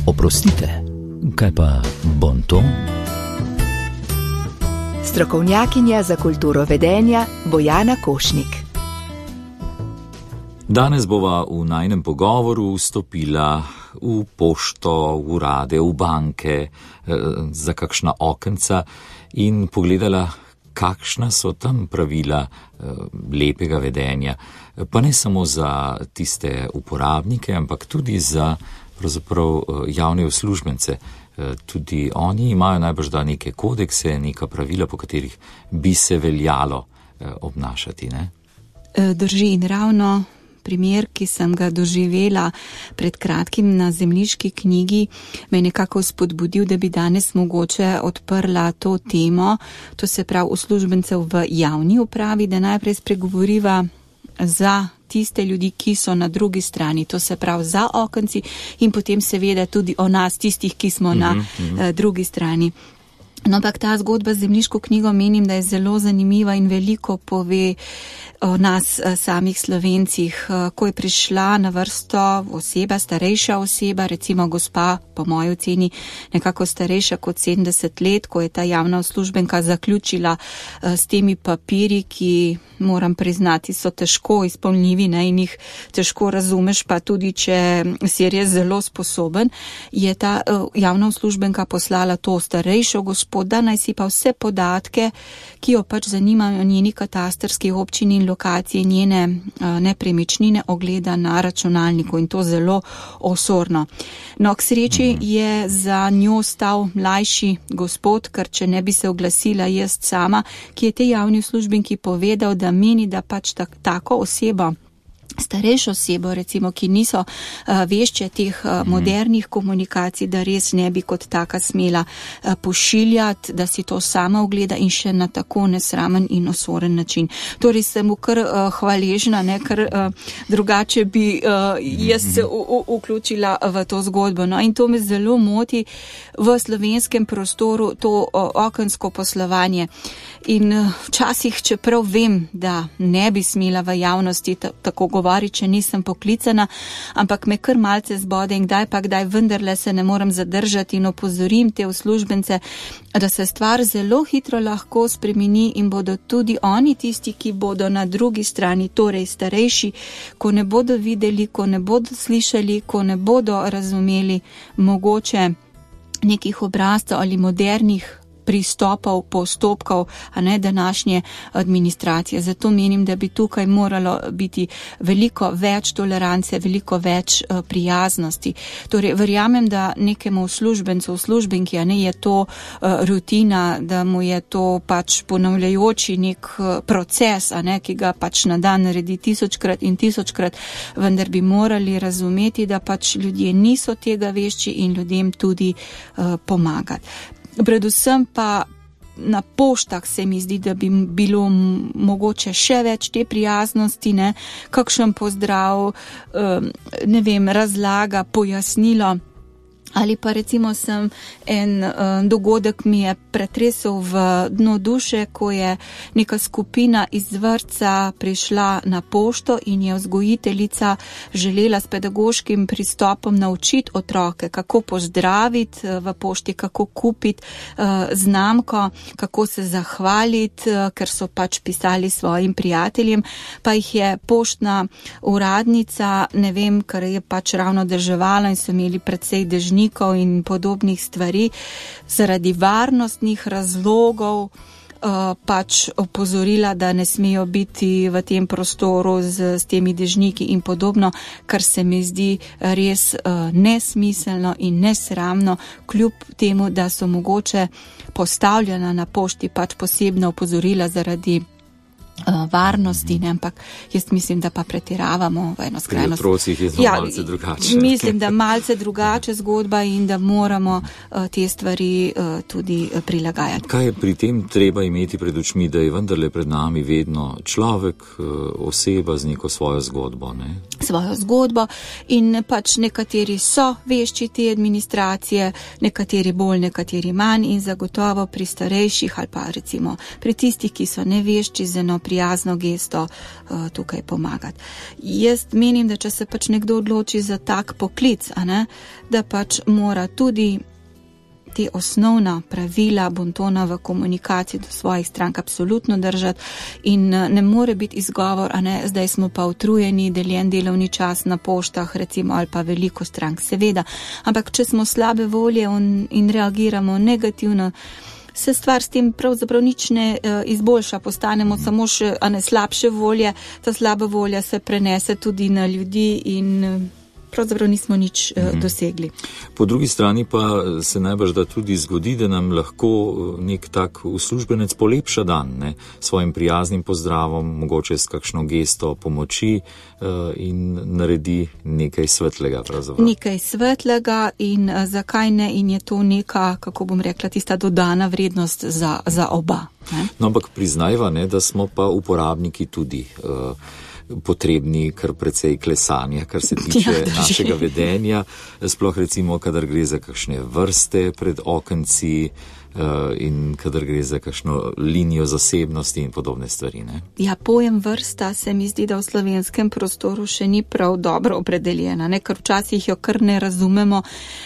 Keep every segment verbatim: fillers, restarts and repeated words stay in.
Oprostite, kaj pa bonton? Strokovnjakinja za kulturo vedenja Bojana Košnik. Danes bova v najinem pogovoru vstopila v pošto, v urade, v banke, za kakšna okenca in pogledala, kakšna so tam pravila lepega vedenja. Pa ne samo za tiste uporabnike, ampak tudi za pravzaprav javne uslužbence. Tudi oni imajo najbrž da neke kodekse, neka pravila, po katerih bi se veljalo obnašati, ne? Drži, in ravno primer, ki sem ga doživela pred kratkim na zemljiški knjigi, me je nekako spodbudil, da bi danes mogoče odprla to temo, to se pravi uslužbencev v javni upravi, da najprej spregovoriva za tiste ljudi, ki so na drugi strani, to se pravi za okenci in potem seveda tudi o nas, tistih, ki smo mm-hmm, na mm-hmm. uh, drugi strani. No, ampak ta zgodba z zemljiško knjigo menim, da je zelo zanimiva in veliko pove o nas samih Slovencih. Ko je prišla na vrsto oseba, starejša oseba, recimo gospa, po moji oceni, nekako starejša kot sedemdeset let, ko je ta javna uslužbenka zaključila s temi papiri, ki, moram priznati, so težko izpolnljivi, ne, in jih težko razumeš, pa tudi, če si res zelo sposoben, je ta javna uslužbenka poslala to starejšo gospod, da naj si pa vse podatke, ki jo pač zanimajo njeni katastrski občini in lokacije, njene uh, nepremičnine ogleda na računalniku in to zelo osorno. No, k sreči je za njo stal mlajši gospod, ker če ne bi se oglasila jaz sama, ki je tej javni uslužbenki povedal, da meni, da pač tak, tako osebo, starejšo osebo, recimo, ki niso uh, vešče teh uh, modernih komunikacij, da res ne bi kot taka smela uh, pošiljati, da si to sama ogleda in še na tako nesramen in osoren način. Torej sem mu kar uh, hvaležna, ne, ker uh, drugače bi uh, jaz se u, u, vključila v to zgodbo. No, in to me zelo moti v slovenskem prostoru, to uh, okensko poslovanje. In uh, včasih, čeprav vem, da ne bi smela v javnosti t- tako govoriti, če nisem poklicana, ampak me kar malce zbode in kdaj pa kdaj vendarle se ne morem zadržati in opozorim te uslužbence, da se stvar zelo hitro lahko spremeni in bodo tudi oni tisti, ki bodo na drugi strani, torej starejši, ko ne bodo videli, ko ne bodo slišali, ko ne bodo razumeli mogoče nekih obrazcev ali modernih pristopov, postopkov, a ne današnje administracije. Zato menim, da bi tukaj moralo biti veliko več tolerance, veliko več uh, prijaznosti. Torej, verjamem, da nekemu uslužbencu, uslužbenki, a ne je to uh, rutina, da mu je to pač ponavljajoči nek uh, proces, a ne, ki ga pač na dan naredi tisočkrat in tisočkrat, vendar bi morali razumeti, da pač ljudje niso tega vešči in ljudem tudi uh, pomagati. Predvsem pa na poštah se mi zdi, da bi bilo mogoče še več te prijaznosti, ne, kakšen pozdrav, ne vem, razlaga, pojasnilo. Ali pa recimo sem en uh, dogodek mi je pretresel v dno duše, ko je neka skupina iz vrtca prišla na pošto in je vzgojiteljica želela s pedagoškim pristopom naučiti otroke, kako pozdraviti v pošti, kako kupiti uh, znamko, kako se zahvaliti, uh, ker so pač pisali svojim prijateljem, pa jih je poštna uradnica, ne vem, ker je pač ravno deževalo in so imeli precej dežnikov in podobnih stvari, zaradi varnostnih razlogov uh, pač opozorila, da ne smejo biti v tem prostoru z, z temi dežniki in podobno, kar se mi zdi res uh, nesmiselno in nesramno, kljub temu, da so mogoče postavljena na pošti pač posebna opozorila zaradi Uh, varnosti, ne, ampak jaz mislim, da pa pretiravamo v eno skrajnost. Pri otrocih je ja, malce drugače. Mislim, da malce drugače zgodba in da moramo uh, te stvari uh, tudi uh, prilagajati. Kaj je pri tem treba imeti pred očmi, da je vendarle pred nami vedno človek, uh, oseba z neko svojo zgodbo, ne? svojo zgodbo in pač nekateri so vešči te administracije, nekateri bolj, nekateri manj in zagotovo pri starejših ali pa recimo pri tistih, ki so nevešči z eno prijazno gesto uh, tukaj pomagati. Jaz menim, da če se pač nekdo odloči za tak poklic, a ne, da pač mora tudi te osnovna pravila bontona v komunikaciji do svojih strank absolutno držati in ne more biti izgovor, a ne, zdaj smo pa utrujeni, deljen delovni čas na poštah, recimo, ali pa veliko strank, seveda. Ampak, če smo slabe volje in reagiramo negativno, se stvar s tem pravzaprav nič ne uh, izboljša, postanemo samo še, a ne, slabše volje, ta slaba volja se prenese tudi na ljudi in uh, pravzaprav nismo nič uh, mm-hmm. dosegli. Po drugi strani pa se najbrž da tudi zgodi, da nam lahko nek tak uslužbenec polepša dan, ne, svojim prijaznim pozdravom, mogoče s kakšno gesto pomoči uh, in naredi nekaj svetlega pravzaprav. Nekaj svetlega in uh, zakaj ne, in je to neka, kako bom rekla, tista dodana vrednost za, za oba. Ne? No, ampak priznajva, ne, da smo pa uporabniki tudi uh, potrebni kar precej klesanja, kar se tiče ja, našega vedenja, sploh recimo, kadar gre za kakšne vrste pred okenci uh, in kadar gre za kakšno linijo zasebnosti in podobne stvari. Ne? Ja, pojem vrsta se mi zdi, da v slovenskem prostoru še ni prav dobro opredeljena, ne? Ker včasih jo kar ne razumemo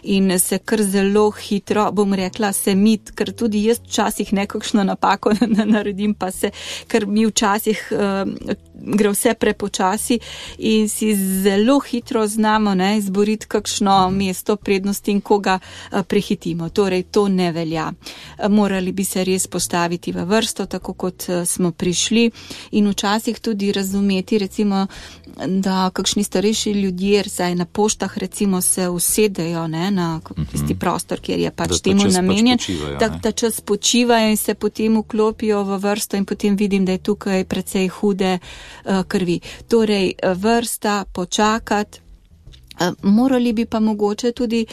in se kar zelo hitro, bom rekla, se mit, ker tudi jaz včasih nekakšno napako naredim, pa se, ker mi včasih uh, gre vse prepočasi in si zelo hitro znamo, ne, izboriti kakšno mesto prednosti in koga prehitimo. Torej, to ne velja. Morali bi se res postaviti v vrsto, tako kot smo prišli in včasih tudi razumeti, recimo, da kakšni starejši ljudje, saj na poštah recimo se usedejo, ne, na tisti prostor, kjer je pač temu namenjen, da ta čas počivajo in se potem vklopijo v vrsto in potem vidim, da je tukaj precej hude uh, krvi. Torej, vrsta, počakati. Morali bi pa mogoče tudi,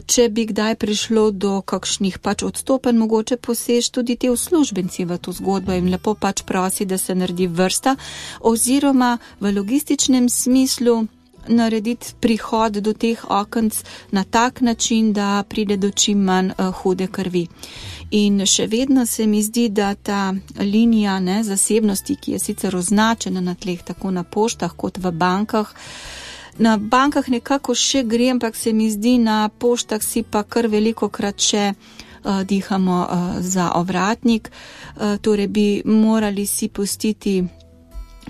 če bi kdaj prišlo do kakšnih pač odstopen, mogoče posež tudi te uslužbenci v to zgodbo in lepo pač prosi, da se naredi vrsta, oziroma v logističnem smislu narediti prihod do teh okenc na tak način, da pride do čim manj hude krvi. In še vedno se mi zdi, da ta linija, ne, zasebnosti, ki je sicer označena na tleh tako na poštah kot v bankah, na bankah nekako še gre, ampak se mi zdi, na poštah si pa kar veliko krat še uh, dihamo uh, za ovratnik, uh, torej bi morali si pustiti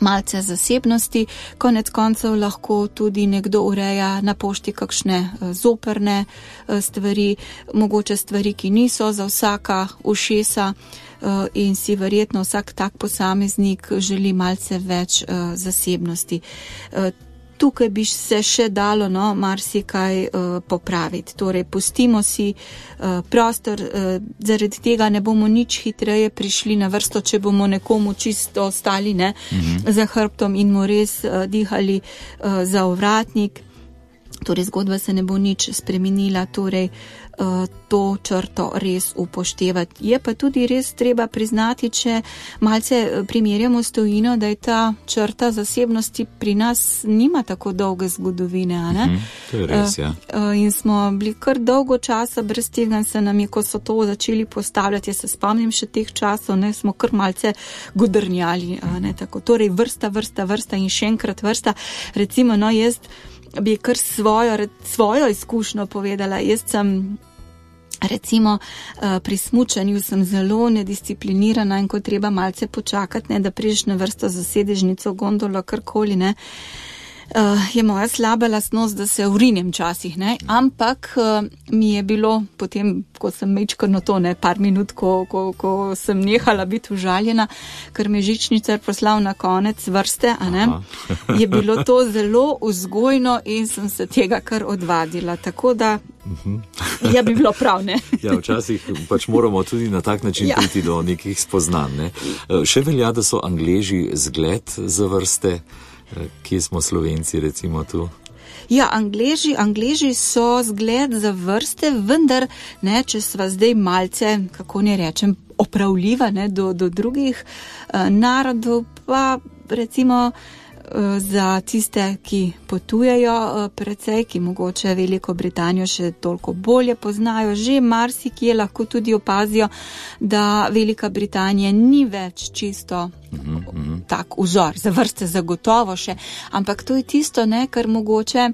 malce zasebnosti, konec koncev lahko tudi nekdo ureja na pošti kakšne uh, zoprne uh, stvari, mogoče stvari, ki niso za vsaka ušesa uh, in si verjetno vsak tak posameznik želi malce več uh, zasebnosti. Uh, Tukaj bi se še dalo, no, marsikaj uh, popraviti. Torej, pustimo si uh, prostor, uh, zaradi tega ne bomo nič hitreje prišli na vrsto, če bomo nekomu čisto ostali, ne, mm-hmm. za hrbtom in mu res uh, dihali uh, za ovratnik. Torej, zgodba se ne bo nič spremenila, torej uh, to črto res upoštevati. Je pa tudi res treba priznati, če malce primerjamo s tujino, da je ta črta zasebnosti pri nas nima tako dolge zgodovine, a ne? Mm, to je res, ja. Uh, uh, in smo bili kar dolgo časa brez tega, se nam je, ko so to začeli postavljati, jaz se spomnim še teh časov, ne, smo kar malce godrnjali, a ne, tako. Torej, vrsta, vrsta, vrsta in še enkrat vrsta. Recimo, no, jaz bi kar svojo, svojo izkušnjo povedala. Jaz sem recimo pri smučanju sem zelo nedisciplinirana in ko treba malce počakati, ne, da prideš na vrsto za sedežnico, gondolo, karkoli, ne, je moja slaba lastnost, da se urinem časih, ne, ampak mi je bilo potem, ko sem mečkano to, ne, par minut, ko, ko, ko sem nehala biti užaljena, ker me žičnicar poslal na konec vrste, a ne, je bilo to zelo vzgojno in sem se tega kar odvadila, tako da ja, bi bilo prav, ne. Ja, včasih pač moramo tudi na tak način ja. priti do nekih spoznanj, ne. Še velja, da so Angleži zgled za vrste, kje smo Slovenci recimo tu? Ja, Angleži, Angleži so zgled za vrste, vendar, ne, če sva zdaj malce, kako ne rečem, opravljiva, ne, do, do drugih uh, narodov, pa recimo za tiste, ki potujejo precej, ki mogoče Veliko Britanijo še toliko bolje poznajo, že marsikje lahko tudi opazijo, da Velika Britanija ni več čisto mm-hmm. tak vzor, za vrste zagotovo še, ampak to je tisto, ne, kar mogoče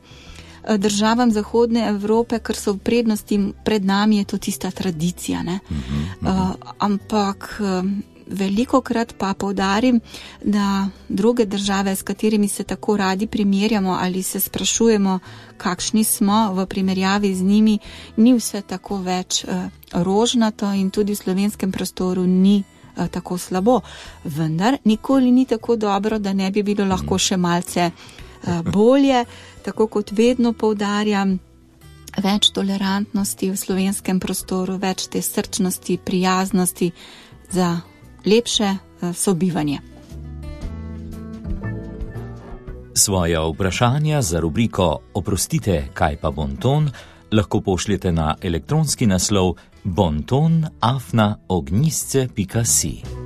državam Zahodne Evrope, kar so v prednosti pred nami, je to tista tradicija, ne. Mm-hmm. Uh, ampak velikokrat pa poudarim, da druge države, s katerimi se tako radi primerjamo ali se sprašujemo, kakšni smo v primerjavi z njimi, ni vse tako več uh, rožnato in tudi v slovenskem prostoru ni uh, tako slabo. Vendar nikoli ni tako dobro, da ne bi bilo lahko še malce uh, bolje, tako kot vedno poudarjam, več tolerantnosti v slovenskem prostoru, več te srčnosti, prijaznosti za lepše sobivanje. Svoja vprašanja za rubriko Oprostite, kaj pa bonton, lahko pošljete na elektronski naslov bonton afna ognjisce pika si.